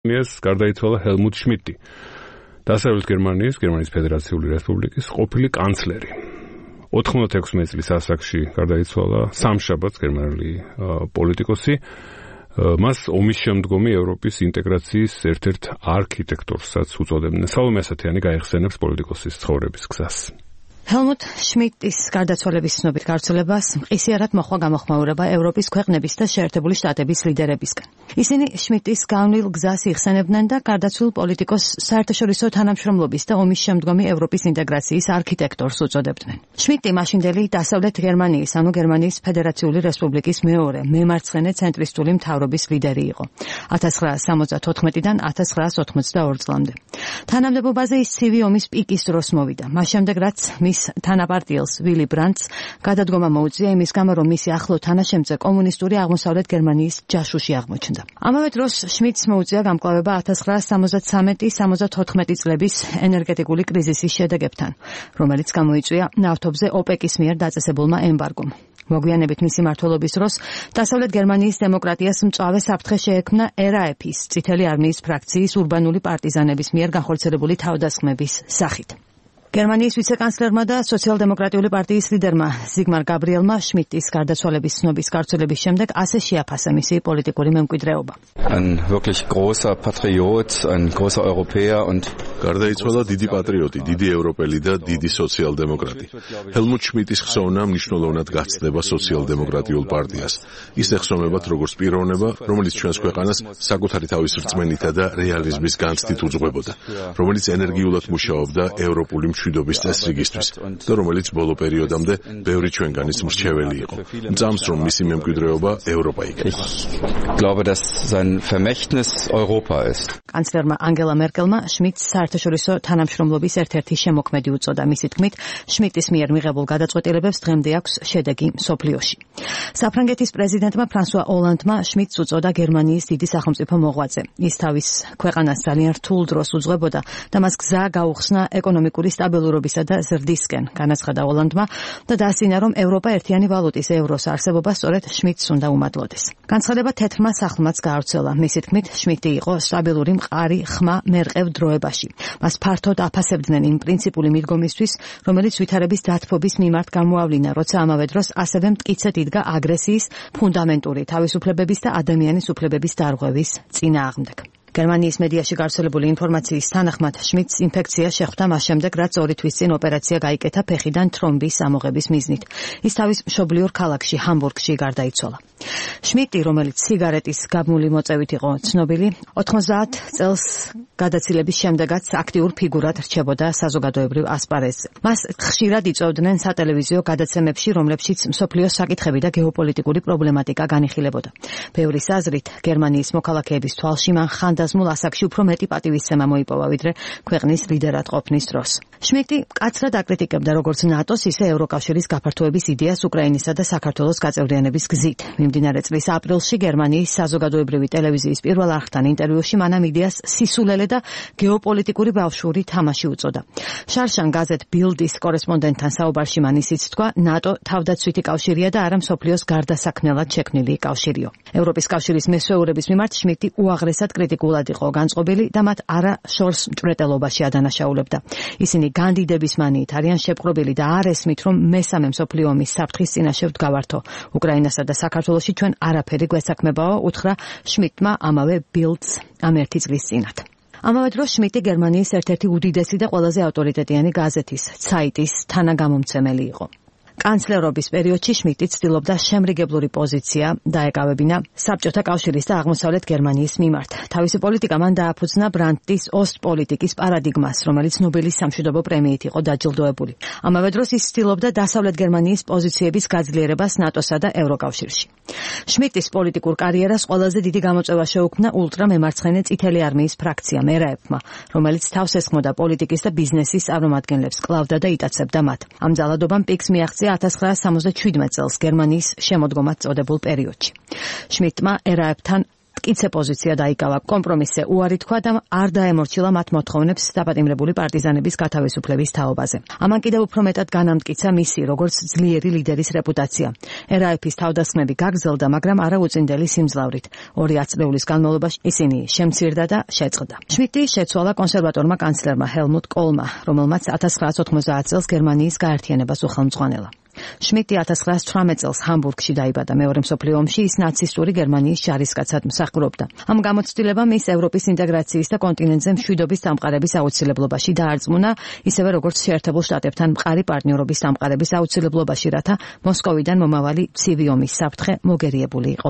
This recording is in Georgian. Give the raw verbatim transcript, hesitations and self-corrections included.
მიეს გარდაიცვალა ჰელმუტ შმიდტი, დასავლეთ გერმანიის, გერმანიის ფედერაციული რესპუბლიკის ყოფილი კანცლერი. ოთხმოცდაექვსი წლის ასაკში გარდაიცვალა სამშაბათს გერმანელი პოლიტიკოსი. მას ომის შემდგომი ევროპის ინტეგრაციის ერთ-ერთ არქიტექტორსაც უწოდებდნენ. სალომე ასათიანი გაიხსენებს პოლიტიკოსის ცხოვრების გზას. ჰელმუტ შმიდტის გარდაცვალების ცნობით გავრცელებას მყისიარად მოჰყვა გამოხმაურება ევროპის ქვეყნების და შეერთებული შტატების ლიდერებისგან. ისინი შმიდტის განვლილ გზას იხსენებდნენ და გარდაცვლილ პოლიტიკოს საერთაშორისო თანამშრომლობის და ომის შემდგომი ევროპის ინტეგრაციის არქიტექტორს უწოდებდნენ. შმიდტი მაშინდელი დასავლეთ გერმანიის, ანუ გერმანიის ფედერაციული რესპუბლიკის მეორე მემარცხენე ცენტრისტული მთავრობის ლიდერი იყო. ათას ცხრაასი სამოცდათოთხმეტიდან ათას ცხრაასი ოცდაორი წლამდე. თანამდებობაზე ის ცივი ომის პიკის დროს მოვიდა. მას შემდეგ რაც მის თანაპარტიელს ვილი ბრანდტს გადადგომა მოუწია იმის გამო, რომ მისი ახლო თანაშემწე კომუნისტური აღმოსავლეთ გერმანიის ჯაშუში აღმოჩნდა. ამავე დროს შმიდტს მოუწია გამკლავება ათას ცხრაასი სამოცდათსამეტი სამოცდათოთხმეტი წლების ენერგეტიკული კრიზისის შედეგებთან, რომელიც გამოიწვია ნავთობზე ოპეკის მიერ დაწესებულმა ემბარგომ. მოგვიანებით მისი მმართველობის დროს დასავლეთ გერმანიის დემოკრატიას მწვავე საფრთხე შეექმნა er á efის წითელი არმიის ფრაქციის ურბანული პარტიზანების მიერ განხორციელებული თავდასხმების სახით. გერმანიის ვიცეკანცლერმა და სოციალ-დემოკრატიული პარტიის ლიდერმა ზიგმარ გაბრიელმა შმიდტის გარდაცვალების ცნობის გავრცელების შემდეგ ასე შეაფასა მისი პოლიტიკური მემკვიდრეობა. Ein wirklich großer Patriot, ein großer Europäer und გარდაიცვალა დიდი პატრიოტი, დიდი ევროპელი და დიდი სოციალ-დემოკრატი. ჰელმუტ შმიდტის ხსოვნა მნიშვნელოვნად გაცდება სოციალ-დემოკრატიულ პარტიას. ის ეხსომებათ როგორც პიროვნება, რომელიც ჩვენს ქვეყანას საკუთარი თავის რწმენითა და რეალიზმის განცდით უძღვებოდა, რომელიც ენერგიულად მუშაობდა ევროპული მშვიდობის წესრიგისთვის და რომელიც ბოლო პერიოდამდე ბევრი ჩვენგანის მრჩეველი იყო. მწამს რომ მისი მემკვიდრეობა ევროპა იქნება. Ich glaube, dass sein Vermächtnis Europa ist. კანცლერმა ანგელა მერკელმა შმიდტს საერთაშორისო თანამშრომლობის ერთ-ერთი შემოქმედი უწოდა. მისი თქმით, შმიდტის მიერ მიღებულ გადაწყვეტილებებს დღემდე აქვს შედეგი მსოფლიოში. საფრანგეთის პრეზიდენტმა ფრანსუა ოლანდმა შმიდტს უწოდა გერმანიის დიდი სახელმწიფო მოღვაწე. ის თავის ქვეყანას ძალიან რთულ დროს უძღვებოდა და მას გზა გაუხსნა ეკონომიკური სტაბილურობისა და ზრდისკენ, განაცხადა ოლანდმა და დაასწინა, რომ ევროპა ერთიანი ვალუტის ევროს არსებობა სწორედ შმიდტს უნდა უმადლოდეს. განცხადება თეთრმა სახლმაც გაავრცელა. მისი თქმით, შმიდტი იყო სტაბილური მყარი ხმა მერყევ დროებაში. მას ფართოდ აფასებდნენ იმ პრინციპული მიდგომისთვის, რომელიც ვითარების დათბობის მიმართ გამოავლინა, როცა ამავე დროს ასევე მტკიცედ იდგა აგრესიის, ფუნდამენტური თავისუფლებების და ადამიანის უფლებების დარღვევის წინააღმდეგ. გერმანიის მედიაში გავრცელებული ინფორმაციის თანახმად შმიდტს ინფექცია შეხვდა მას შემდეგ, რაც ორი თვის წინ ოპერაცია გაიკეთა ფეხიდან თრომბის ამოღების მიზნით. ის თავის მშობლიურ ქალაქში ჰამბურგში გარდაიცვალა. შმიდტი, რომელიც სიგარეტის გაბმული მოწევით იყო ცნობილი, ოთხმოცდაათ წელს გადაცილების შემდეგაც აქტიურ ფიგურად რჩებოდა საზოგადოებრივ ასპარეზზე. მას ხშირად იწვევდნენ სატელევიზიო გადაცემებში, რომლებშიც მსოფლიოს საკითხები და გეოპოლიტიკური პრობლემატიკა განიხილებოდა. ბევრის აზრით, გერმანიის მოქალაქეების თვალში მან ხანდაზმულ ასაკში უფრო მეტი პატივისცემა მოიპოვა, ვიდრე ქვეყნის ლიდერად ყოფნის დროს. შმიდტი მკაცრად აკრიტიკებდა როგორც ნატოს, ისე ევროკავშირის გაფართოების იდეას უკრაინისა და საქართველოს გაწევრიანების გზით. მიმდინარე წლის აპრილში გერმანიის საზოგადოებრივი ტელევიზიის პირველ არხთან ინტერვიუში მან ამ იდეას სისულელე და გეოპოლიტიკური ბავშვური თამაში უწოდა. შარშან გაზეთ ბილდის კორესპონდენტთან საუბარში მან ისიც თქვა, ნატო თავდაცვითი კავშირია და არა მსოფლიოს გარდასაქმნელად შექმნილი კავშირიო. ევროპის კავშირის მესვეურების მიმართ შმიდტი უაღრესად კრიტიკულად იყო განწყობილი და მათ არა შორს მჭვრეტელობაში ადანაშაულებდა. ისინი განდიდების მანიით არიან შეპყრობილი და არ ესმით, რომ მესამე მსოფლიო ომის საფრთხის წინაშე ვდგავართო. უკრაინასა და საქართველოში ჩვენ არაფერი გვესაქმებაო, უთხრა შმიდტმა ამავე ბილდს ამ ერთი წლის წინათ. ამავე დროს შმიდტი გერმანიის ერთ-ერთი უდიდესი და ყველაზე ავტორიტეტიანი გაზეთის ცაიტის თანაგამომცემელი იყო. კანცლერობის პერიოდში შმიდტი ცდილობდა შემრიგებლური პოზიცია დაეკავებინა საბჭოთა კავშირის და აღმოსავლეთ გერმანიის მიმართ. თავისი პოლიტიკა მან დააფუძნა ბრანდტის ოსტპოლიტიკის პარადიგმას, რომელიც ნობელის სამშვიდობო პრემიით იყო დაჯილდოებული. ამავე დროს ის ცდილობდა დასავლეთ გერმანიის პოზიციების გაძლიერებას ნატოსა და ევროკავშირში. შმიდტის პოლიტიკურ კარიერას ყველაზე დიდი გამოწვევა შეუქმნა ულტრამემარცხენე წითელი არმიის ფრაქციამ er á efმა, რომელიც თავს ესხმოდა პოლიტიკის და ბიზნესის წარმომადგენლებს, კლავდა და იტაცებდა მათ. ამ ძალადობამ პიკს მიაღწია ათას ცხრაასი სამოცდაშვიდმეტ წელს გერმანიის შემოდგომად წოდებულ პერიოდში. შმიდტმა er á efთან მტკიცე პოზიცია დაიკავა. კომპრომისზე უარი თქვა და არ დაემორჩილა მათ მოთხოვნებს დაპატიმრებული პარტიზანების გათავისუფლების თაობაზე. ამან კიდევ უფრო მეტად განამტკიცა მისი როგორც ძლიერი ლიდერის რეპუტაცია. ერ აი ეფ-ის თავდასხმები გაგრძელდა, მაგრამ არა უწინდელი სიმძლავრით. ორი ათწლეულის განმავლობაში ისინი შემცირდა და შეწყდა. შმიდტი შეცვალა კონსერვატორმა კანცლერმა ჰელმუტ კოლმა, რომელმაც ათას ცხრაასი ოთხმოცდაათ წელს გერმანიის გაერთიანებას უხელმძღვანელა. შმიდტი ათას ცხრაასი ცხრამეტ წელს ჰამბურგში დაიბადა. მეორე მსოფლიო ომში ის ნაცისტური გერმანიის ჯარისკაცად მსახურობდა. ამ გამოცდილებამ ის ევროპის ინტეგრაციის და კონტინენტზე მშვიდობის დამყარების აუცილებლობაში დაარწმუნა, ისევე როგორც შეერთებულ შტატებთან მყარი პარტნიორობის დამყარების აუცილებლობაში, რათა მოსკოვიდან მომავალი ცივი ომის საფრთხე მოგერიებული იყო.